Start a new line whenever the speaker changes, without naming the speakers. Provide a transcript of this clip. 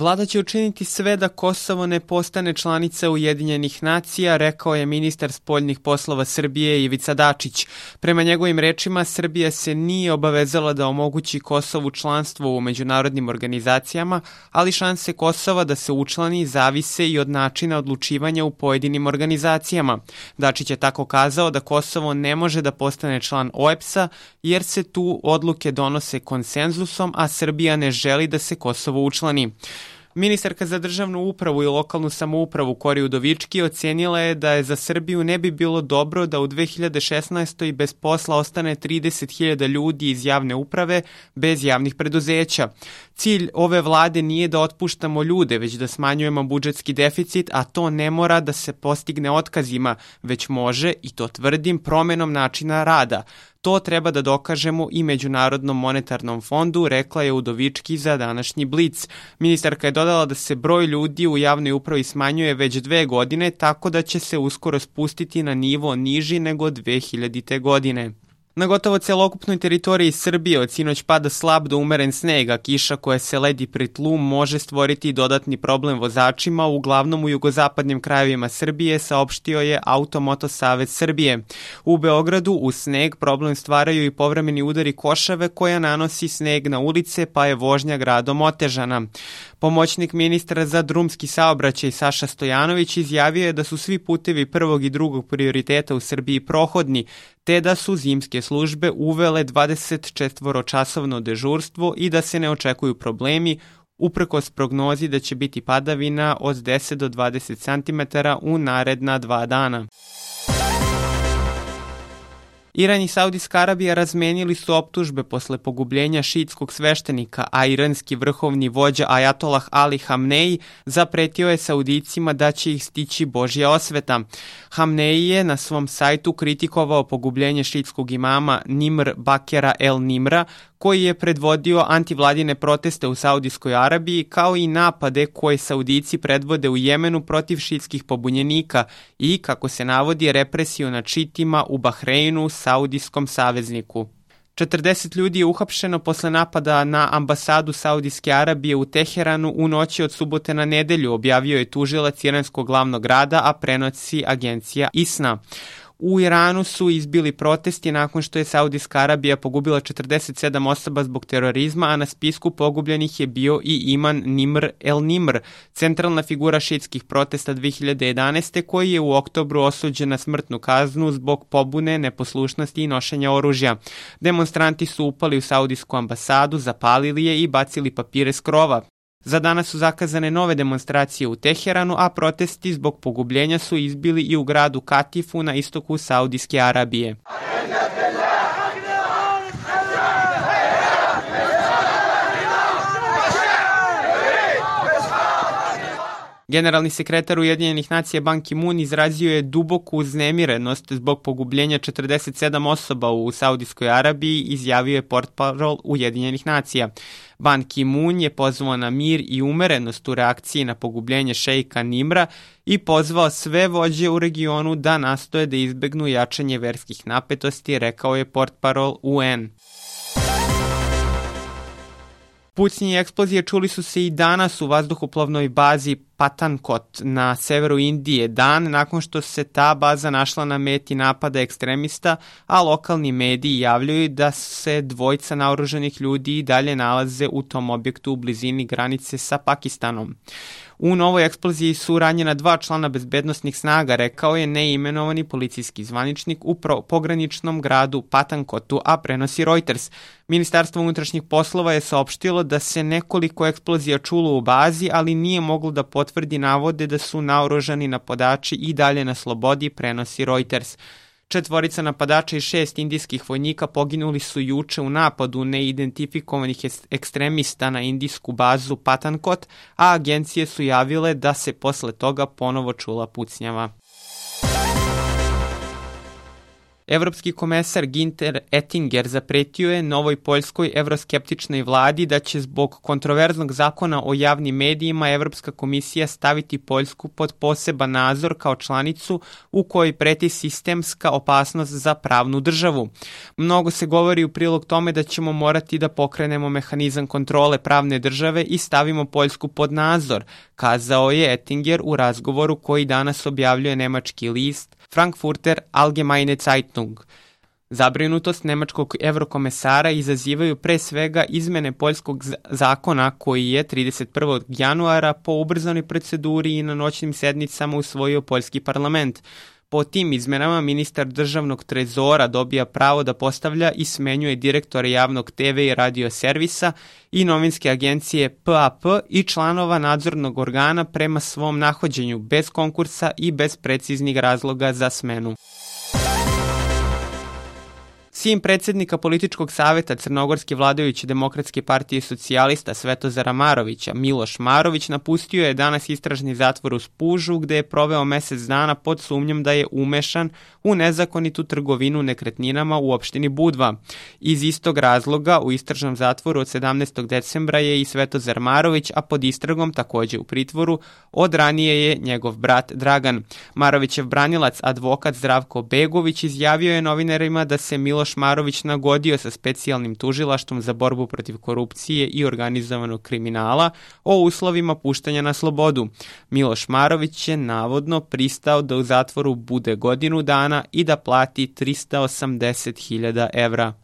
Vlada će učiniti sve da Kosovo ne postane članica Ujedinjenih nacija, rekao je ministar spoljnih poslova Srbije Ivica Dačić. Prema njegovim rečima, Srbija se nije obavezala da omogući Kosovu članstvo u međunarodnim organizacijama, ali šanse Kosova da se učlani zavise i od načina odlučivanja u pojedinim organizacijama. Dačić je tako kazao da Kosovo ne može da postane član OEBS-a jer se tu odluke donose konsenzusom, a Srbija ne želi da se Kosovo učlani. Ministarka za državnu upravu i lokalnu samoupravu Kori Udovički ocenila je da je za Srbiju ne bi bilo dobro da u 2016. bez posla ostane 30.000 ljudi iz javne uprave bez javnih preduzeća. Cilj ove vlade nije da otpuštamo ljude, već da smanjujemo budžetski deficit, a to ne mora da se postigne otkazima, već može, i to tvrdim, promenom načina rada. To treba da dokažemo i Međunarodnom monetarnom fondu, rekla je Udovički za današnji Blic. Ministarka je dodala da se broj ljudi u javnoj upravi smanjuje već 2 godine, tako da će se uskoro spustiti na nivo niži nego 2000. godine. Na gotovo celokupnoj teritoriji Srbije od sinoć pada slab do umeren sneg, a kiša koja se ledi pri tlu može stvoriti dodatni problem vozačima, uglavnom u jugozapadnim krajevima Srbije, saopštio je Automoto Savez Srbije. U Beogradu uz sneg problem stvaraju i povremeni udari košave koja nanosi sneg na ulice, pa je vožnja gradom otežana. Pomoćnik ministra za drumski saobraćaj Saša Stojanović izjavio je da su svi putevi prvog i drugog prioriteta u Srbiji prohodni, te da su zimske službe uvele 24-časovno dežurstvo i da se ne očekuju problemi, uprkos prognozi da će biti padavina od 10 do 20 cm u naredna 2 dana. Iran i Saudijska Arabija razmenili su optužbe posle pogubljenja šiitskog sveštenika, a iranski vrhovni vođa Ajatolah Ali Hamneji zapretio je Saudijcima da će ih stići Božja osveta. Hamneji je na svom sajtu kritikovao pogubljenje šiitskog imama Nimr Bakera El Nimra, koji je predvodio antivladine proteste u Saudijskoj Arabiji, kao i napade koje Saudijci predvode u Jemenu protiv šiitskih pobunjenika i, kako se navodi, represiju nad šiitima u Bahreinu, saudijskom savezniku. 40 ljudi je uhapšeno posle napada na ambasadu Saudijske Arabije u Teheranu u noći od subote na nedelju, objavio je tužilac iranskog glavnog grada, a prenosi agencija ISNA. U Iranu su izbili protesti nakon što je Saudijska Arabija pogubila 47 osoba zbog terorizma, a na spisku pogubljenih je bio i imam Nimr El Nimr, centralna figura šiitskih protesta 2011. koji je u oktobru osuđen na smrtnu kaznu zbog pobune, neposlušnosti i nošenja oružja. Demonstranti su upali u Saudijsku ambasadu, zapalili je i bacili papire s krova. Za danas su zakazane nove demonstracije u Teheranu, a protesti zbog pogubljenja su izbili i u gradu Katifu na istoku Saudijske Arabije. Generalni sekretar Ujedinjenih nacija Ban Ki-moon izrazio je duboku uznemirenost zbog pogubljenja 47 osoba u Saudijskoj Arabiji, izjavio je portparol Ujedinjenih nacija. Ban Ki-moon je pozvao na mir i umerenost u reakciji na pogubljenje šejka Nimra i pozvao sve vođe u regionu da nastoje da izbegnu jačanje verskih napetosti, rekao je portparol UN. Pucnje i eksplozije čuli su se i danas u vazduhoplovnoj bazi Patankot na severu Indije, dan nakon što se ta baza našla na meti napada ekstremista, a lokalni mediji javljaju da se dvojica naoružanih ljudi i dalje nalaze u tom objektu u blizini granice sa Pakistanom. U novoj eksploziji su ranjena 2 člana bezbednosnih snaga, rekao je neimenovani policijski zvaničnik u pograničnom gradu Patankotu, a prenosi Reuters. Ministarstvo unutrašnjih poslova je saopštilo da se nekoliko eksplozija čulo u bazi, ali nije moglo da potvrdi navode da su naoružani napadači i dalje na slobodi, prenosi Reuters. 4 napadača i 6 indijskih vojnika poginuli su juče u napadu neidentifikovanih ekstremista na indijsku bazu Patankot, a agencije su javile da se posle toga ponovo čula pucnjava. Evropski komesar Günther Oettinger zapretio je novoj poljskoj evroskeptičnoj vladi da će zbog kontroverznog zakona o javnim medijima Evropska komisija staviti Poljsku pod poseban nadzor kao članicu u kojoj preti sistemska opasnost za pravnu državu. Mnogo se govori u prilog tome da ćemo morati da pokrenemo mehanizam kontrole pravne države i stavimo Poljsku pod nadzor, kazao je Oettinger u razgovoru koji danas objavljuje nemački list Frankfurter Allgemeine Zeitung. Zabrinutost nemačkog evrokomesara izazivaju pre svega izmene poljskog zakona koji je 31. januara po ubrzanoj proceduri i na noćnim sednicama usvojio poljski parlament. Po tim izmenama ministar državnog trezora dobija pravo da postavlja i smenjuje direktore javnog TV i radio servisa i novinske agencije PAP i članova nadzornog organa prema svom nahođenju, bez konkursa i bez preciznih razloga za smenu. Sin predsjednika političkog saveta Crnogorske vladajuće demokratske partije socijalista Svetozara Marovića, Miloš Marović, napustio je danas istražni zatvor u Spužu, gde je proveo mesec dana pod sumnjom da je umešan u nezakonitu trgovinu nekretninama u opštini Budva. Iz istog razloga u istražnom zatvoru od 17. decembra je i Svetozar Marović, a pod istragom takođe u pritvoru od ranije je njegov brat Dragan. Marovićev branilac, advokat Zdravko Begović, izjavio je novinarima da se Miloš Marović nagodio sa specijalnim tužilaštvom za borbu protiv korupcije i organizovanog kriminala o uslovima puštanja na slobodu. Miloš Marović je navodno pristao da u zatvoru bude godinu dana i da plati 380.000 evra.